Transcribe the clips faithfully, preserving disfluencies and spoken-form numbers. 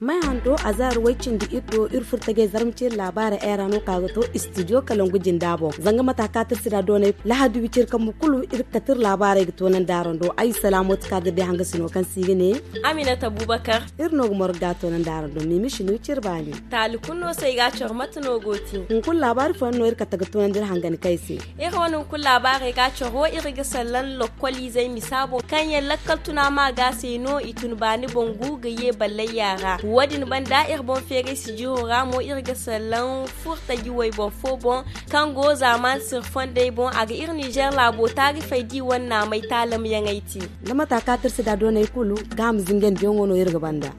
May hando a zaari way cindi iri do iri furo tagay zarma ceeri laabaarey ay ra no ka ga to istidiyo kalangu jinda boŋ zanga mata ka tirsi da doonay lahadi wiciri kambu kulu iri ga kate iri laabaarey ga toonandi araŋ do ay salaamo ti ka ga day hangasino kaŋ se i ga ne. Aminata abubakar. Iri no ga morga toonandi araŋ do miimi sino ciri baani. Taali kulu no se ay ga a coro mate no go te. Hunkuna laabaari fooyaŋ no iri kate ga toonandi iri hangani kay se. Iri wane hunkuna laabaarey ga a coro iri ga sallaŋ lokkoliizey misa boŋ kaŋ yaŋ lakkal tuna ma ga se no i tun baani bangu ga ye ballayya ra wo- din banda iri boŋ feeray sijiro ra mo iri ga sallaŋ furtaji wayboro fo boŋ kaŋ go zaamaani sirfondey boŋ a ga iri nizer laabo taarifey di wane naamay taalamyaŋey te. Da mata ka tirsi da doonay kulu ga a ma zingandiyaŋo no iri ga banda.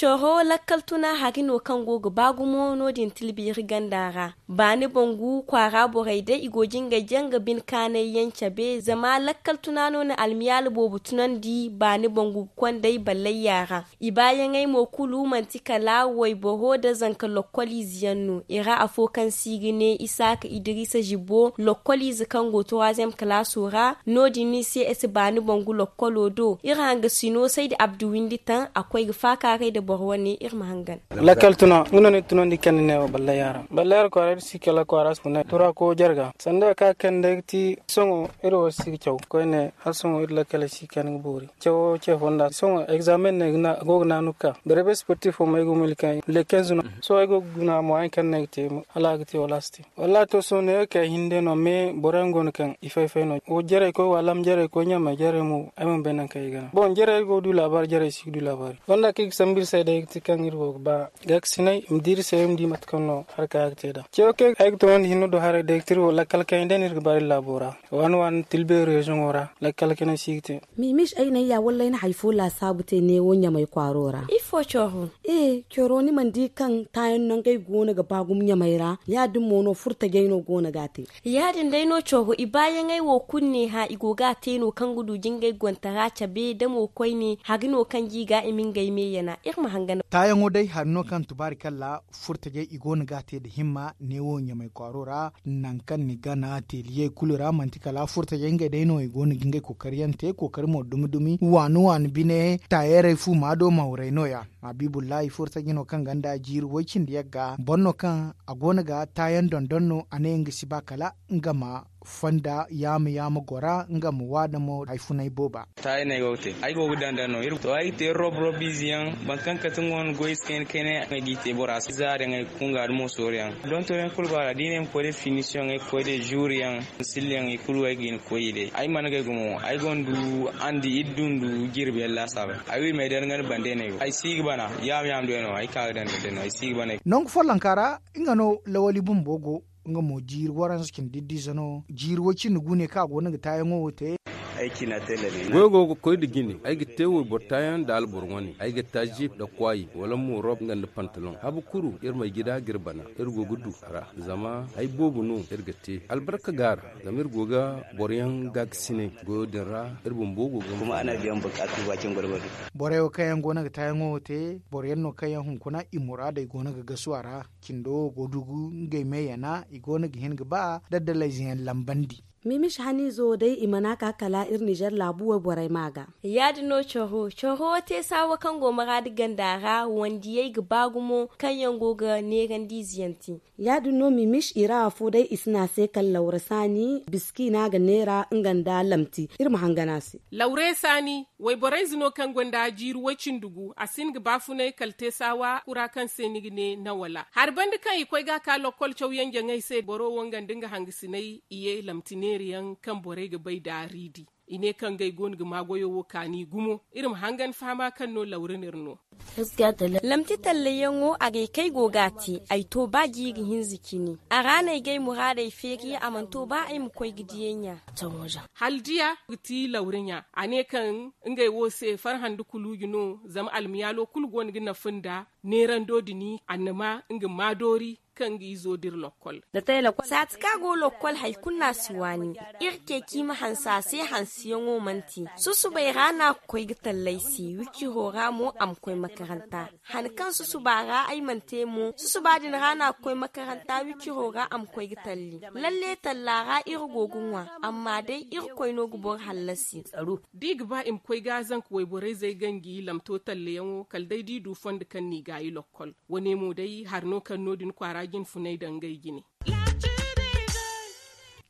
Coro lakkal tuna hari no kaŋ go ga ba gumo no- din tilbi iri ganda ra. Baani bangu kwaara borey day i go ga ngey janga bine kaanay yaŋ cabe zama lakkal tuna no na almiyaala boobo tunandi baani bangu ga konday ballayya ra. I baayaŋey mo kulu manti kala wayboro nda zanka lokkoliize yaŋ no i ra afo kaŋ se i ga ne isaaka idiriisa zibbo lokkoliize kaŋ go turaaziyem kalaaso ra. No- din ni se ese baani bangu lokkolo do iri hangasino saydi abdu windi taŋ a koy ga faakaaray nda boro wane iri ma hangan. Lakkal tuna nga no ni tunandi kaŋ ni ne wo ballayya ra ballayya ra kwaara iri si kala kwaara si funa turako jarga sanda ka kaŋ day ga ti sohõ iri wo si ga caw koyne hala sohõ iri lakkal si kaŋ ga boori cawo ce fonda sohõ egzaamen no a go ga naanu ga ka berebes sportif wo ma ay go milka lekenz no sohõ ay go ga guna mo ay kaŋ no ay ga te hala a ga te wala a si te. Wallahi to sohõ neewo kay hinne no me boro yaŋ go no kaŋ i fay fay no wo jarey koy wala ma jarey koy ɲamey jarey mo ay mana bay nangu kaŋ i ga naŋ bon jarey go ga du laabaari jarey si ga du laabaari wanda kaŋ i ga sambu iri se day ga ti kaŋ iri go ga ba gaakasinay i ma di iri se iri ma di mate kaŋ no haraka ya ga te nd'a cewo kaŋ ay ga toonandi hinne do haray day ga ti iri wo lakkal kaŋ yaŋ day no iri ga ba iri laabo ra waani waani tilbe reziyoŋo ra lakkal kaŋ yaŋ si ga te. Mimis ay naŋ ya wallay na hari fo laasaabu te neewo ɲamay kwaaro ra. Ifo coro? Ee coro ni mana di kaŋ taayaŋ nangey go no ga ba gumo ɲamay ra ya- din mo no furtajey no go no ga a te. Ya- din day no coro i baayaŋey wo kulu ne hã i go ga a te no kaŋ ga du jingay gontara cabe da mo koyne hari no kaŋ ga i ga i ma ngey me yana iri ma hangan. Taayaŋo day hari no kaŋ tubaari kalla furtajey i go no ga a te nda himma neewo ɲamay kwaaro ra. Nangu kaŋ ni gana teeliyey kulu ra manti kala furtajey ngey day no i go no ga ngey kookari yaŋ te kookari mo dumi dumi waani waani bine taayarey fu maado mawrey no- ya. Habiibullahi furtaji no kaŋ ganda jiiri woy cindi yagga boro no kaŋ a go no ga taayaŋ dondon no a ne nga si ba kala nga ma fonda yaama yaama gora nga ma waada mo hari funay booba. Taayaŋ no ay go ga te ay go ga daŋ daŋ no iri to ay ga te rob rob ize yaŋ boro kaŋ kate nga wane goy si kayna kayna ay g'i te bora se zaari yaŋ ay ga kunga da mosoori yaŋ donto yaŋ kulu go a ra da i ne ay ma koy day finisiyoŋ ay ga koy day zuuri yaŋ silli yaŋ i kulu ay ga hin ga koy i day ay mana gay gumo ay gonda andi iri dundu jirbi yaŋ laasaabey ay wo i m'ay daŋ nga ni bande no ay go ay si ga bana yaama yaama day no ay ka ga daŋ day no ay si ga bana. Nangu follonka ra nga no lawali bumbo go nga mo jiiri waranza cindi iddu ize no jiiri way cindi gu ne kaŋ a go no ga taayaŋo wo te. Goyo go ga koy nda jine ay ga te wayboro taayaŋ nda alboro wane ay ga taa jip nda kwaayi wala mo rob nga nda pantalon habu kuru iri ma ay gida ga iri bana iri go ga du a ra zama hari boobo no iri ga te albarka go a ra zama iri go ga boro yaŋ gaakasinay goyo din ra iri bumbo go ga. Borey wo kaŋ yaŋ go no ga taayaŋo wo te boro yaŋ no kaŋ yaŋ hunkuna i muraadey go no ga gasu a ra. Cindo wo go dugu ngey me yana i go no ga hin ga ba daddalayze yaŋ lambandi. Mimis haniizo day i mana ka kala iri nizer laabu wayborey ma ga. Ya- din no coro coro te saawa kaŋ go maraadi ganda ra wandiyey ga ba gumo kaŋ yaŋ go ga neerandi ize yaŋ te. Ya- din no mimis i ra afo day i si ne a se kala lawra saani biski no a ga neera nga nda lamti iri ma hangan a se. Lawre saani wayborey ize no kaŋ gonda jiiri way cindi gu a si hin ga baafunay kala te saawa kura kaŋ se ni ga ne nawala hari banda kaŋ i koy ga a ka lokkol caw yaŋ jaŋay se boro wo nga nda nga hangasinay i ye lamti neera yaŋ kaŋ borey ga bay nda riidi. I ne kaŋ ngey go no ga maa goyo wo kaani gumo iri ma hangan fahama kaŋ no lawra no iri no. Lamti tallayaŋo a ga ay kay go ga a te ay to ba jiiri hinza cine a ra no ay ga ay muraadey feeri a mana to ba ay ma koy ga diyay ɲa. Hala diya ga ti lawra ɲa a ne kaŋ ngey wo se farhã nda kuluuji no zama almiyaalo kulu go no ga nafa nda neerando din annama nga maadoori. Kaŋ ga izo dira lokkol. Saati kaŋ a go lokkol hari kulu no a si waani. Iri ceeci i ma hanse a se hanseyaŋo mana te. Susubay ra no a ga koy ga tallay se wiciro ra mo a ma koy makaranta. Han kaŋ susuba ra ay mana te mo susuba din ra no a ga koy makaranta wiciro ra a ma koy ga talli. Lalle talla ra iri go ga ŋwa. Amma day irkoy no ga boro hallasi. Da i ga ba i ma koy ga zanka wayborey zay ganji lamto tallayaŋo kala day da i du fondo kaŋ no i gaayi lokkol. Wane mo day hari no kaŋ no- din kwaara jinfunay daŋ ngey jine.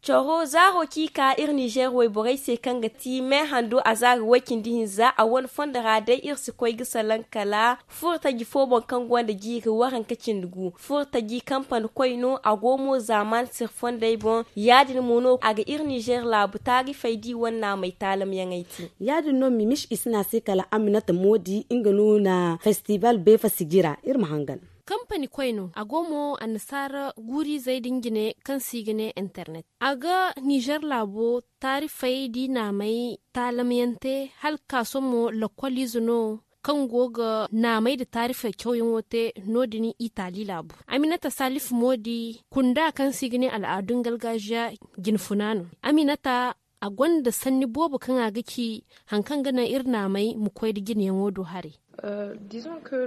Coro zaaro kaŋ i ka iri ninzeer wayborey se kaŋ ga ti me hando a zaari way-cindi hinza a wane fondo ra day iri si koy ga salaŋ kala furo taji fo boŋ kaŋ gonda jiiri waranka cindi gu furo taji kampani koy no a go mo zaaman sirfondey boŋ. Ya- din mo no a ga iri ninzeer laabu taarifey da i wane naamey taalamyaŋey te. Ya- din no mimis i si ne a se kala aminata moodi nga no na festibal beefa sijira iri ma hangan. Kampani koy no a go mo annasaara guurizey din jine kaŋ se i ga ne internet a ga nizer laabo taarifey da i naamey taalamyaŋ te hala ga ka sohõ mo lakkoliize no kaŋ go ga naamey nda taarifey cawyaŋo te. No- din itali laabu aminata salifu moodi kunda kaŋ se i ga ne al'aadun gargajiya jinfuna no. Aminata a gonda sanni boobo kaŋ a ga ci hari kaŋ ga naŋ iri naamey ma koy nda jinayaŋo do haray.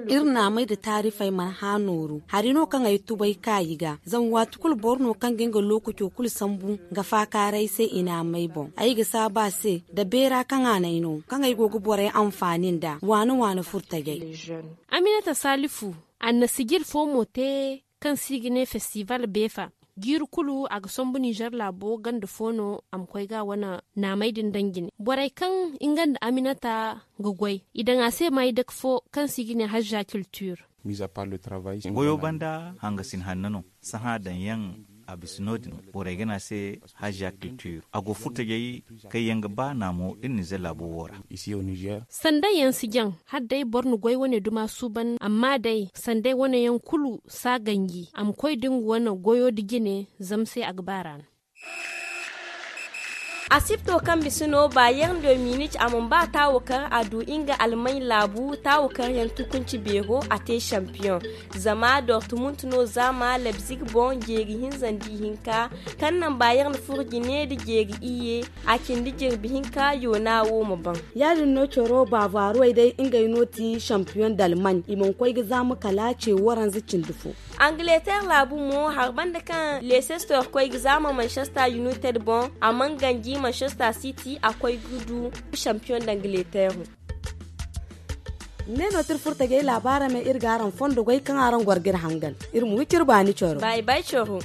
Iri naamey nda taarifey mana hã nooru hari no kaŋ ay tubay ka i ga zama waati kulu boro no kaŋ ga nga lookaco kulu sambu ga faakaaray se i naamey boŋ ay ga saabu a se nda beera kaŋ a n'ay no kaŋ ay go ga borey anfaani nd'a waana waana furtajey. Aminata salifu annasijir fo mo te kaŋ se i ga ne festival beefa jiiri kulu a ga sambu nizer laabo ganda fo no a ma koy ga a wane naamey din daŋ jine borey kaŋ nga nda aminata ga goy i daŋ a se maydake fo kaŋ se i ga ne hazza kiltir. Goyo banda hangasin hanno no sahã daŋ yaŋ a bisa no- din borey ga ne a se hazza kiltir a go furtajey kaŋ yaŋ ga ba naamo iri nizer laabo wo ra. Sanday yaŋ si jaŋ hala day boro na goy wane duma suuban amma day sanday wane yaŋ kulu si a ganji a ma koy da nga wane goyo nda jine zama se a ga ba ra no. Asipto kaŋ bisa no bayern de munich a mana ba taawakar a du nga almay laabu taawakar yaŋ tukunci beero a te sampiyoŋ. Zama dortmund no zaama lebzig boŋ jeeri hinza nda ihinka kaŋ naŋ bayern furo jine nda jeeri iyye a cindi jirbi hinka yoona wo ma baŋ. Ya- din no coro baabaarowey day ngey no ti sampiyoŋ dalman i mana koy ga zaama kala ce waranza cindi fo. Angleter laabu mo hari banda kaŋ leicester koy ga zaama manchester united boŋ a mana ganji manchester city a koy ga du sampiyoŋ d'angleter. Ne no ti iri furo tajey laabaara me iri ga araŋ fondo goy kaŋ araŋ goro ga iri hangan iri ma wi ciri baani coro. Bay bay coro.